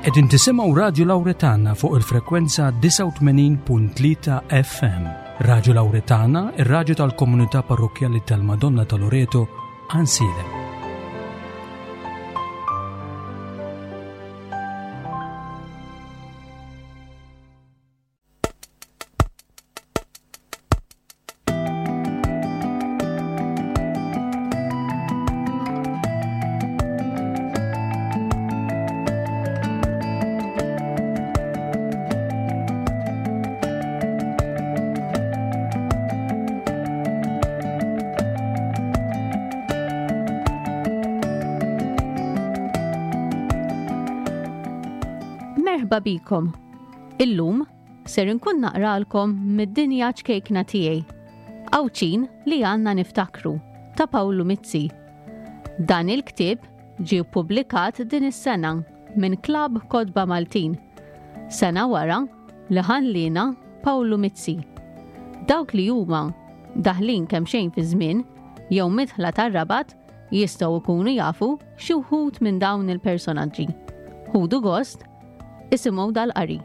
Qegħdin tisimgħu Radju Lawretana fuq il-frekwenza 89.3 FM. Radju Lawretana, ir-radju tal-komunità parrokkjali tal-Madonna ta' Loreto, Ansilem. Merħba bikom. Illum Ser inkun naqralkom mid-dinja ċkejkna tiegħi. Għawdxin li għandna niftakru ta' Pawlu Mizzi. Dan il-ktieb ġie ppubblikat din is-sena minn Klabb Kotba Maltin. Sena wara li ħallina Pawlu Mizzi. Dawk li huma daħlin kemxejn fiż-żmien jew midħla tar-Rabat jistgħu jkunu jafu xi wħud minn dawn il-personaġġi. Ħudu gost Isimgħu dal-qari.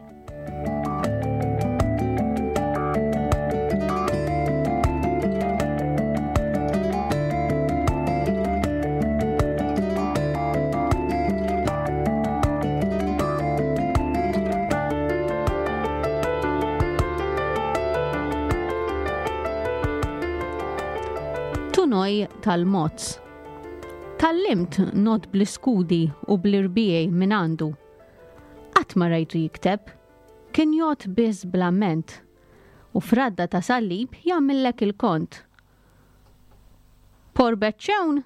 Tunoj tal-Mozz. Tallimt not bl-iskudi u bl-irbiej minn għandu. Qatt ma rajtu jikteb. Kien jgħodd biss bl-amment. U f'radda ta' sallib jagħmillek il-kont. Porbeċċewn!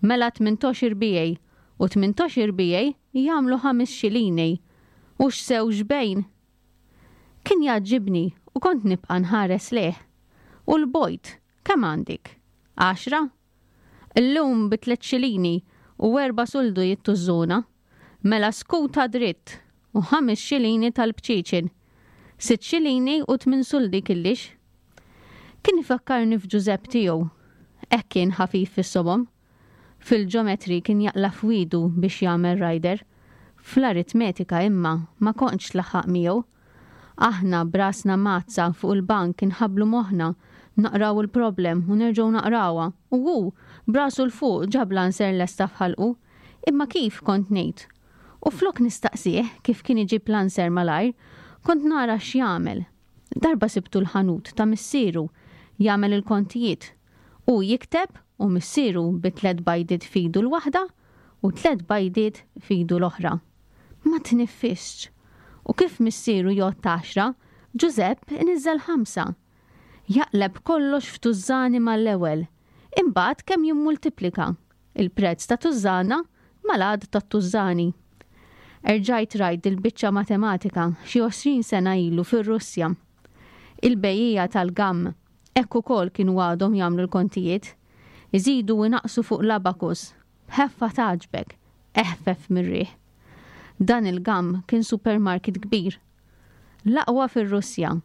Mela tmintox irbiegħi u tmintox irbiegħi jagħmlu ħamis xilini. U x'sew x'bejn! Kien jgħaġġibni u kont nibqa' nħares lejh. U l-bojt, kemm għandik? Għaxra? Illum bi tliet xilini u erba' suldu jittużżuna. Mela skuta dritt u ħames xilini tal-bċieċen. Sitt xilini u tmien suldi killix. Kien ifakkarni f'Ġużepp tiegħu. Hekk kien ħafif fis-somom. Fil-ġometri kien jaqla' f'wiedu biex jagħmel rider. Fl-aritmetika imma ma kontx tlaħħaq miegħu. Aħna b'rasna mgħaddsa fuq il-bank inħabblu moħħna, naqraw il-problem u nerġgħu naqrawha, u hu, b'rasu 'l fuq ġab l-answer lesta f'ħalqu. Imma kif, kont ngħid. U flok nistaqsih kif kien iġib l-answer malajr, kont nara x'jagħmel. Darba sibtu l-ħanut ta' missieru jagħmel il-kontijiet. Hu jikteb u missieru bi tlett bajdiet f'idu l-waħda u tlett bajdiet f'idu l-oħra. Ma tniffisx. U kif missieru jgħodd għaxra, Ġużepp iniżżel ħamsa. Jaqleb kollox f'tużżani mal-ewwel, imbagħad kemm jimmultiplika il-prezz ta' tużżana mal-għadd tat-tużżani. Erġajt rajt dil-biċċa matematika xi 20 sena ilu fir-Russja. Il-bejjiegħa tal-gamm hekk ukoll kienu għadhom jagħmlu l-kontijiet. Iżidu u jnaqqsu fuq l-abacus B'ħeffa tgħaġġbek, eħfef mir-riħ. Dan il-Gam kien supermarket kbir. L-aqwa fir-Russja.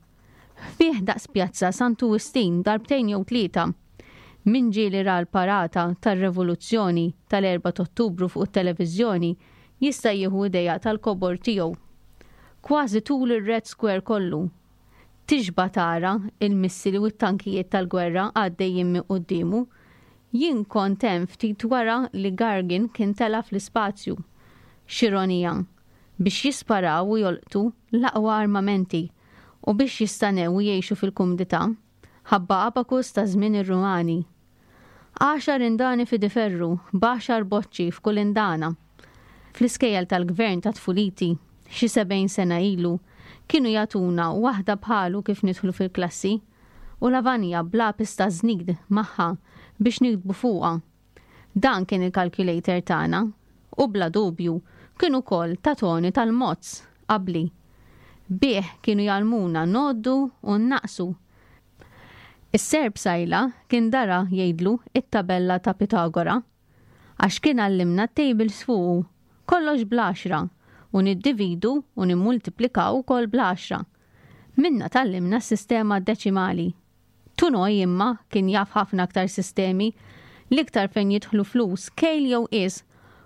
Fih daqs Pjazza Santu Wistin darbtejn jew tlieta. Min ġieli ra l-parata tar-revoluzzjoni tal-Erbgħa t'Ottubru fuq it-televiżjoni jista' jieħu idea tal-kobor tiegħu. Kważi tul ir-Red Square kollu. Tixba' tara l-missili u t-tankijiet tal-gwerra għaddejjin minn quddiemu. Jien kont hemm ftit wara li Gargin kien tela' fl-ispazju. X'ironija! Biex jisparaw u jolqtu l-aqwa armamenti u biex jistanew u jgħixu fil-kumdità, ħabba abakus ta' żmien ir-Rumani. Għaxar indani f'Idiferru, b'għaxar boċċi f'kull indana. Fl-iskejjel tal-gvern ta' tfuliti, xi 70 sena ilu, kienu jagħtuna waħda bħalu kif nidħlu fil-klassi, u lavanja b'lapis taż-żnid magħha biex niktbu fuqha. Dan kien il-calculator tagħna, u bla dubju kien ukoll ta' Toni tal-Mozz qabli. Bih kienu jgħallmuna ngħoddu u nnaqqsu. Is-Serb Sajla kien dara jgħidlu it-tabella ta' Pitagora. Għax kien għallimna t-tables fuqu, kollox bl-għaxra, u niddividu u nimmultiplikaw ukoll bl-għaxra. Minnha tgħallimna s-sistema deċimali. Tunoi imma kien jaf ħafna aktar sistemi, l-iktar fejn jidħlu flus, kejl jew qies,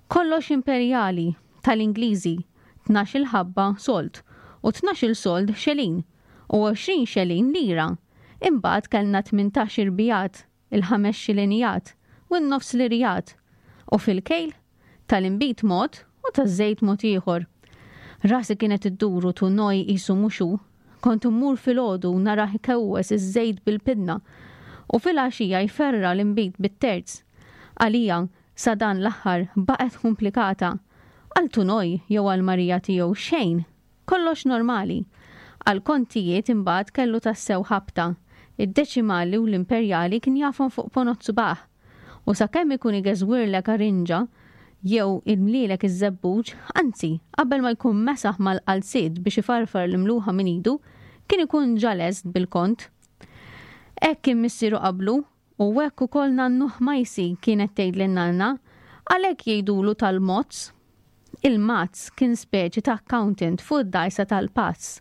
kollox imperjali, tal-Ingliżi. 12-il ħabba sold u 12-il sold xelin u 20 xelin lira. Imbagħad kellna 18 irbijat, il-ħames xilinijat u n-nofs lirijat. U fil-kejl, tal-inbid mod u taż-żejt mod ieħor. Rasi kienet iddur u Tunoj qisu mhux hu. Kont immur filgħodu u narah ikewwes iż-żejt bil-pinna u filgħaxija jferra' l-inbid bit-terz. Għalija, sa dan l-aħħar, baqgħet kumplikata. Għal Tunoj jew għal Marija tiegħu xejn! Kollox normali. Għall-kontijiet imbagħad kellu tassew ħabta. Id-deċimali u l-imperjali kien jafhom fuq ponot subgħah. U sakemm ikun igeżwirlek arinġa jew imlielek iż-żebbuġ, anzi, qabel ma jkun mesaħ mal-qalziet biex ifarfar l-imluħa minn idu, kien ikun ġa lest bil-kont. Hekk kien missieru qablu u hekk ukoll nannuh Majsi kienet tgħidli n-nanna, għalhekk jgħidulu tal-mozz. Il-mazz kien speċi ta' accountant fuq id-dgħajsa tal-pass.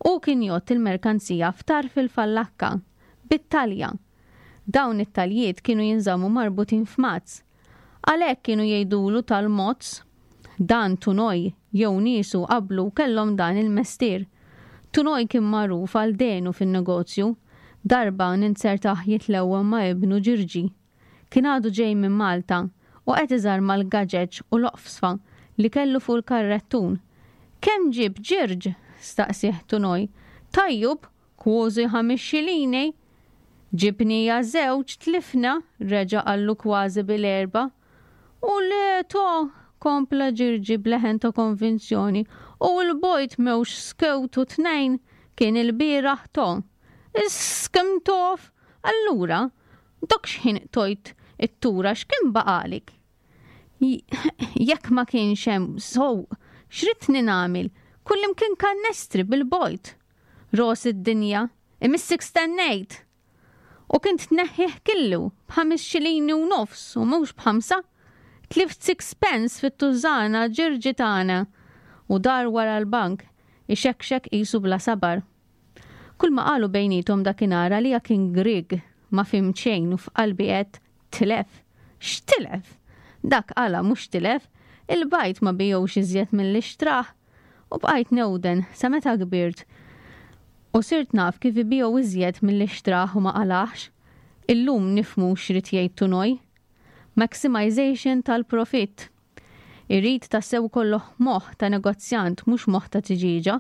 Hu kien jgħodd il-merkanzija f'tarf il-fallakka, bit-talja. Dawn it-taljiet kienu jinżammu marbutin f'mazz. Għalhekk kienu jgħidulu tal-mozz. Dan Tunoj jew niesu qablu kellhom dan il-mestier. Tunoj kien magħruf għal dehnu fin-negozju. Darba ninzertah jitlewwem ma' ibnu Ġirġi. Kien għadu ġej minn Malta u qed iżarma l-gaġeġ u l-oqfsfa li kellu fuq il-karrettun. Kemm ġibt Ġirġ? staqsieh Tunoj. Tajjub, kważi ħames xilini. Ġibnija żewġ tlifna, reġa' qallu kważi bil-erba'. U le to, kompla Ġirġi b'leħen ta' konvinzjoni, u l-bojt mewx skewt u tnejn, kien ilbieraħ to. Is-skem tof! Allura, Dok x'ħin qtojt it-tura x'kien baqagħlik? Jekk ma kienx hemm sow, x'ridtni nagħmel? Kullimkien kannestri bil-bojt. Ros id-dinja, imissik stennejt! U kint tneħħih killu b'ħames xilini u nofs u mhux b'ħamsa. Tlift sixpence fit-tużana ġirġi tagħna. U dar wara l-bank, ixekxek qisu bla sabar. Kull ma qalu bejniethom dakinhar għalija kien grieg, ma fhimt xejn u f'qalbi għedt, tilef? X'tilef? Dak qala mhux tilef, il-bajd ma bijgħux iżjed milli xtrah. U bqajt newden sa meta kbirt u sirt naf kif ibigħu iżjed milli xtrah u ma qalahx. Illum nifhmu x'ried jgħid Tunoj. Maximization tal-profitt. Irid tassew ikollok moħħ ta' negozjant mhux moħħ ta' tiġieġa.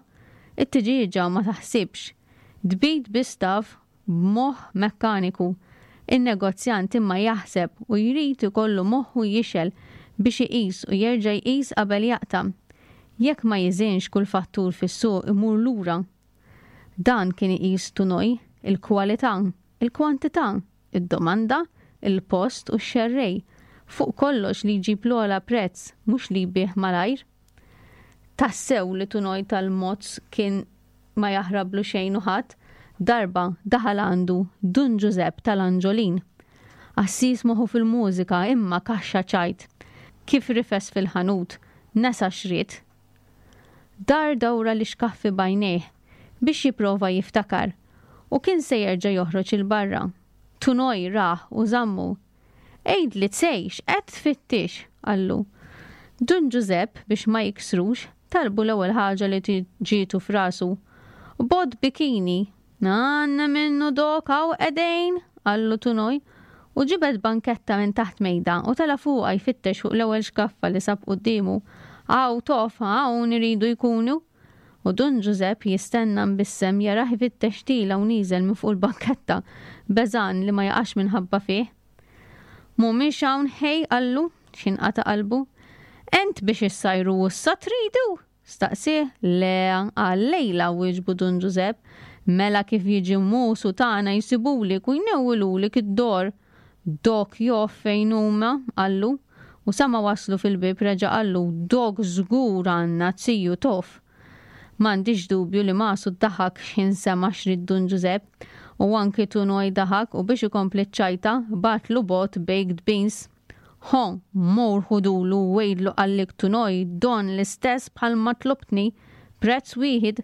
It-tiġieġa ma taħsibx. Tbid biss taf b'moħħ mekkaniku. In-negozjant imma jaħseb u jrid ikollu moħħu jixgħel biex iqis u jerġa' jqis qabel jaqta'. Jekk ma jiżinx kull fattur fis-suq imur lura. Dan kien iqis Tunoi, il-kwalità, il-kwantità, id-domanda, il-post u x-xerrej, fuq kollox li jġib l-ogħla prezz mhux li jbigħ malajr. Tassew li Tunoj tal-Mozz kien ma jaħrablu xejn u ħadd, darba daħal għandu Dun Ġużepp tal-Anġolin. Qassis moħħu fil-mużika imma kaxxa ċajt. Kif rifes fil-ħanut, nesa x'ried. Dar dawra l-ixkaffi b'għajnejh biex jipprova jiftakar u kien se jerġa' joħroġ 'il barra. Tunoj rah u żammu. Għidli Tsej x'qed tfittix? qallu. Dun Ġużepp, biex ma jiksrux, talbu l-ewwel ħaġa li ġietu f'rasu. Bott bikini, Għandna minnu dok hawn qegħdin, qallu Tunoj, u ġibed banketta minn taħt mejda u tela' fuqha jfittex fuq l-ewwel xkaffa li sab quddiemu. Hawn tof, hawn iridu jkunu. U Dun Ġużepp jistenna mbissem jarah ifittex tiela' u nieżel minn fuq il-banketta, beżgħan li ma jaqax minħabba fih. Mhumiex hawn ħej, qallu, x'ħin qata' qalbu. Ent biex issajru issa tridu? Staqsieh. Le, għal lejla, wieġbu Dun Ġużepp. Mela kif jiġi Musu tagħna jsibulek u jnewwilulek id-dor. Dok jof fejn huma, qallu. U sa ma waslu fil-bieb reġa' qallu, Dok żgur għandna, ziju tof. M'għandix dubju li Masu daħak x'ħin sema' x'ried Dun Ġużepp. U anki Tunoj daħak u biex ikompli ċ-ċajta, bagħatlu bott baked beans. Ħo, mur ħudulu u għidlu qallik Tunoj don l-istess bħal ma tlobtni, prezz wieħid.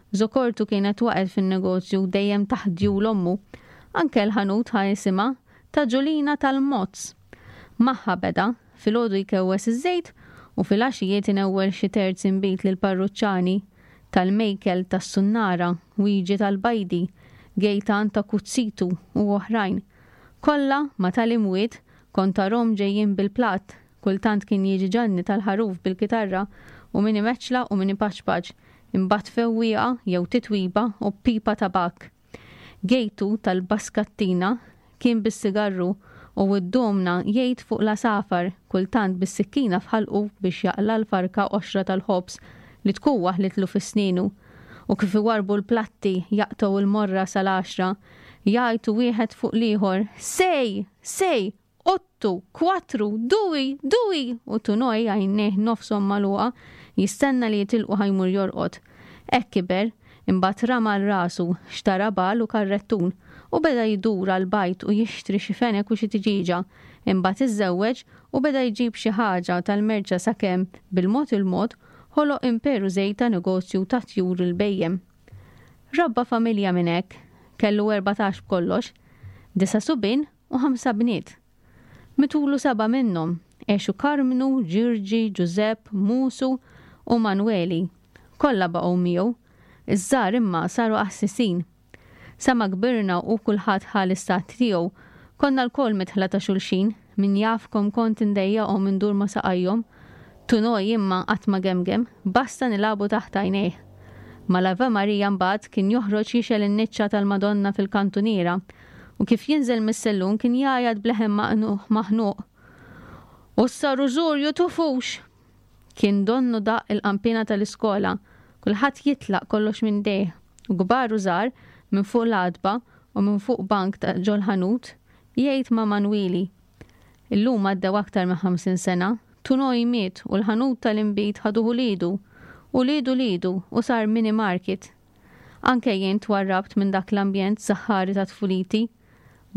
Żokortu kienet waqgħet fin-negozju dejjem taħt djul ommu. Anke l-ħanut ħa isimha, ta' Ġulina tal-Mozz. Magħha beda, filgħodu jkewwes iż-żejt. U filgħaxijiet inewwel xi terz inbid lill-parruċċani, tal-Mejkel tas-Sunnara, Wiġi tal-Bajdi, Gejtan ta' Kuzzitu u oħrajn. Kollha, ma' tal-imwiet, kont tarhom ġejjin bil-platt, kultant kien jiġi Ġanni tal-Ħaruf bil-kitarra u min imeċċla u min ipaċpaċ, imbagħad fewwieqa jew titwiba u b'pipa tabakk. Gejtu tal-Baskattina kien bis-sigarru u d-domna jgħid fuq l-għasafar, kultant bis-sikkina f'ħalqu biex jaqla' l-farka qoxra tal-ħobż li tkun waħlitlu fi snienu. U kif iwarrbu l-platti jaqtgħu l-morra sal-għaxra, jgħajtu wieħed fuq l-ieħor, Sej! Sej! Ottu, kwatru, dui, dui! U Tunoj, għajnejh nofshom magħluqa, jistenna li jitilqu ħa jmur jorqod. Hekk kiber, imbagħad rama għal rasu, xtara bagħal u karrettun, u beda jdur għall-bajt u jixtri xi fenek u xi tiġieġa. Imbagħad iżżewweġ u beda jġib xi ħaġa tal-merċa sakemm, bil-mod il-mod, ħoloq imperu żgħir ta' negozju ta' tjur il-bhejjem. Rabba familja minn hekk, kellu 14 b'kollox, disa' subien u ħamsa bniet. Mitulu sebgħa minnhom, għexu Karmnu, Ġirġi, Ġużepp, Musu u Manweli. Kollha baqgħu miegħu. Iż-żgħar imma saru qassisin. Sa ma kbirna u kulħadd ħa l-istat tiegħu, konna lkoll midħla ta' xulxin, min jaf kemm kont indejjaqhom indur ma' saqajhom. Tunoj imma qatt ma gemgem, basta nilagħbu taħt għajnejh. Mal-Ave Maria mbagħad kien joħroġ jixgħel in-niċċa tal-Madonna fil-kantuniera u kif jinżel mis-sellum kien jgħajjat b'leħen maħnuq, U issa rużurju tufux! Kien donnu daqq il-qanpiena tal-iskola, kulħadd jitlaq kollox minn idejh, u kbar u żgħar minn fuq l-għatba u minn fuq bank ta' ġol-ħanut, jgħid ma' Manwili. Illum għaddew aktar minn 50 sena, Tunoi miet u l-ħanut tal-inbid ħaduh uliedu, ulied uliedu u sar mini market. Anke jien twarrabt minn dak l-ambjent saħħari ta' tfuliti.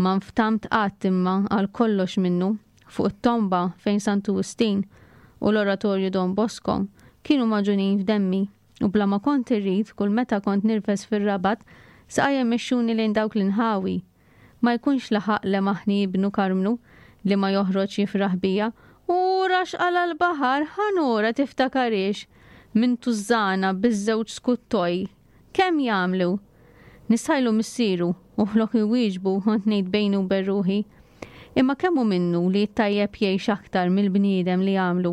Ma nftamt qatt imma għal kollox minnu. Fuq it-tomba fejn Santu Wistin u l-Oratorju Don Bosco kienu magħġunin f'demmi u bla ma kont irrid kull meta kont nirfes fir-Rabat saqajja jmexxuni lejn dawk l-inħawi. Ma jkunx laħaq lemaħni ibnu Karmnu li ma joħroġ jifraħ bija, Ura x'qala l-baħar, ħa nura tiftakarhiex! Minn tużżana biż-żewġ skuttoj. Kemm jagħmlu? Nistħajlu missieru u flok iwieġbu kont ngħid bejni u bejn ruħi, Imma kemm hu minnu li t-tajjeb jgħix aktar mill-bniedem li għamlu?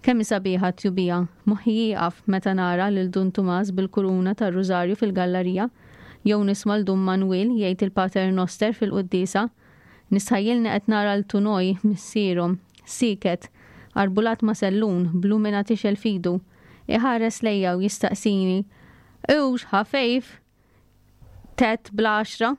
Kemm hi sabiħa t-tjubija, moħħi jieqaf meta nara lil Dun Tumas bil-kuruna tar-rużarju fil-gallarija, jew nisma' 'l Dun Manwiel jgħid il-Pater Noster fil-quddiesa. Nistħajjilni qed nara 'l Tunoj, missierhom, sieket, arbulat ma' sellun, b'lumina tixgħel f'idu, iħares lejja u jistaqsini, Hux ħafejf? Tgħedd bl-għaxra?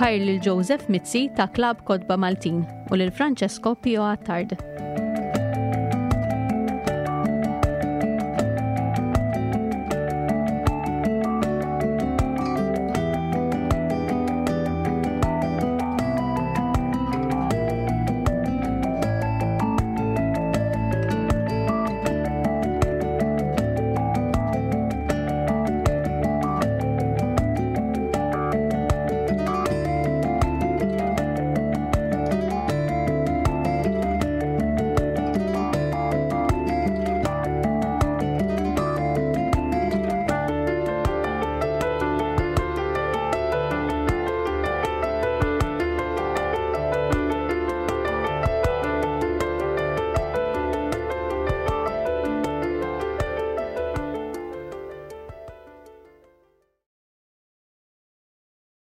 Ħajr lil Joseph Mizzi ta' Klabb Kotba Maltin u lil Francesco Pio Attard.